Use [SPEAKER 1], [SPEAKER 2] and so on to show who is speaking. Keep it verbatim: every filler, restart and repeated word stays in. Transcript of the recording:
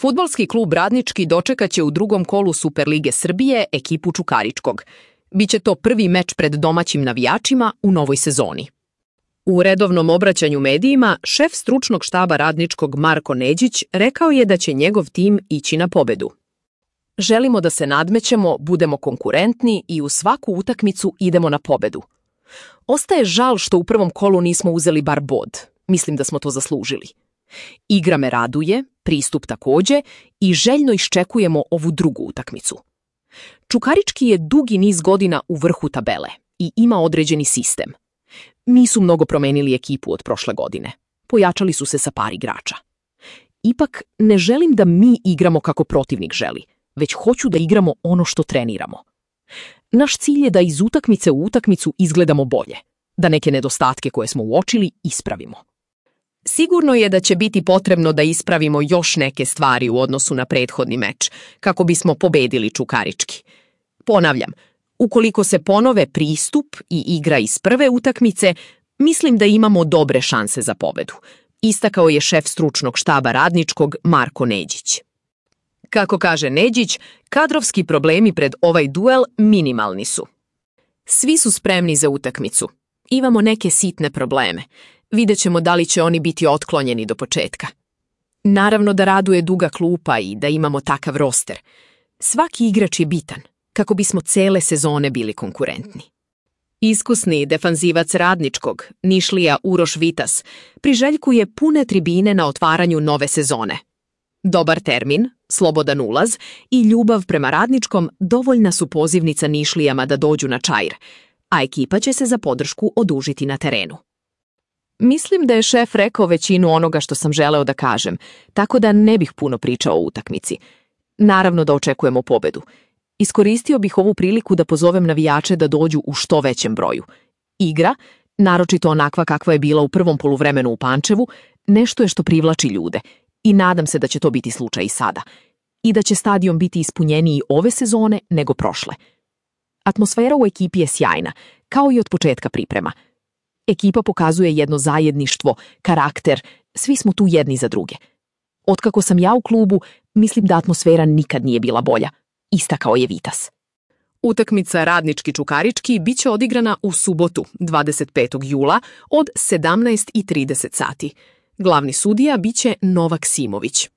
[SPEAKER 1] Fudbalski klub Radnički dočekaće u drugom kolu Superlige Srbije ekipu Čukaričkog. Biće to prvi meč pred domaćim navijačima u novoj sezoni. U redovnom obraćanju medijima, šef stručnog štaba Radničkog Marko Neđić rekao je da će njegov tim ići na pobedu. Želimo da se nadmećemo, budemo konkurentni i u svaku utakmicu idemo na pobedu. Ostaje žal što u prvom kolu nismo uzeli bar bod. Mislim da smo to zaslužili. Igra me raduje, pristup takođe i željno iščekujemo ovu drugu utakmicu. Čukarički je dugi niz godina u vrhu tabele i ima određeni sistem. Nisu mnogo promenili ekipu od prošle godine. Pojačali su se sa par igrača. Ipak ne želim da mi igramo kako protivnik želi, već hoću da igramo ono što treniramo. Naš cilj je da iz utakmice u utakmicu izgledamo bolje, da neke nedostatke koje smo uočili ispravimo. Sigurno je da će biti potrebno da ispravimo još neke stvari u odnosu na prethodni meč, kako bismo pobedili Čukarički. Ponavljam, ukoliko se ponove pristup i igra iz prve utakmice, mislim da imamo dobre šanse za pobedu, istakao je šef stručnog štaba Radničkog Marko Neđić. Kako kaže Neđić, kadrovski problemi pred ovaj duel minimalni su. Svi su spremni za utakmicu. Imamo neke sitne probleme. Vidjet ćemo da li će oni biti otklonjeni do početka. Naravno da raduje duga klupa i da imamo takav roster. Svaki igrač je bitan, kako bismo cele sezone bili konkurentni. Iskusni defanzivac Radničkog, Nišlija Uroš Vitas, priželjkuje pune tribine na otvaranju nove sezone. Dobar termin, slobodan ulaz i ljubav prema Radničkom dovoljna su pozivnica Nišlijama da dođu na Čair, a ekipa će se za podršku odužiti na terenu. Mislim da je šef rekao većinu onoga što sam želeo da kažem, tako da ne bih puno pričao o utakmici. Naravno da očekujemo pobedu. Iskoristio bih ovu priliku da pozovem navijače da dođu u što većem broju. Igra, naročito onakva kakva je bila u prvom poluvremenu u Pančevu, nešto je što privlači ljude i nadam se da će to biti slučaj i sada. I da će stadion biti ispunjeniji ove sezone nego prošle. Atmosfera u ekipi je sjajna, kao i od početka priprema. Ekipa pokazuje jedno zajedništvo, karakter, svi smo tu jedni za druge. Otkako sam ja u klubu, mislim da atmosfera nikad nije bila bolja, istakao je Vitas. Utakmica Radnički Čukarički biće odigrana u subotu, dvadeset petog jula od sedamnaest i trideset sati. Glavni sudija biće Novak Simović.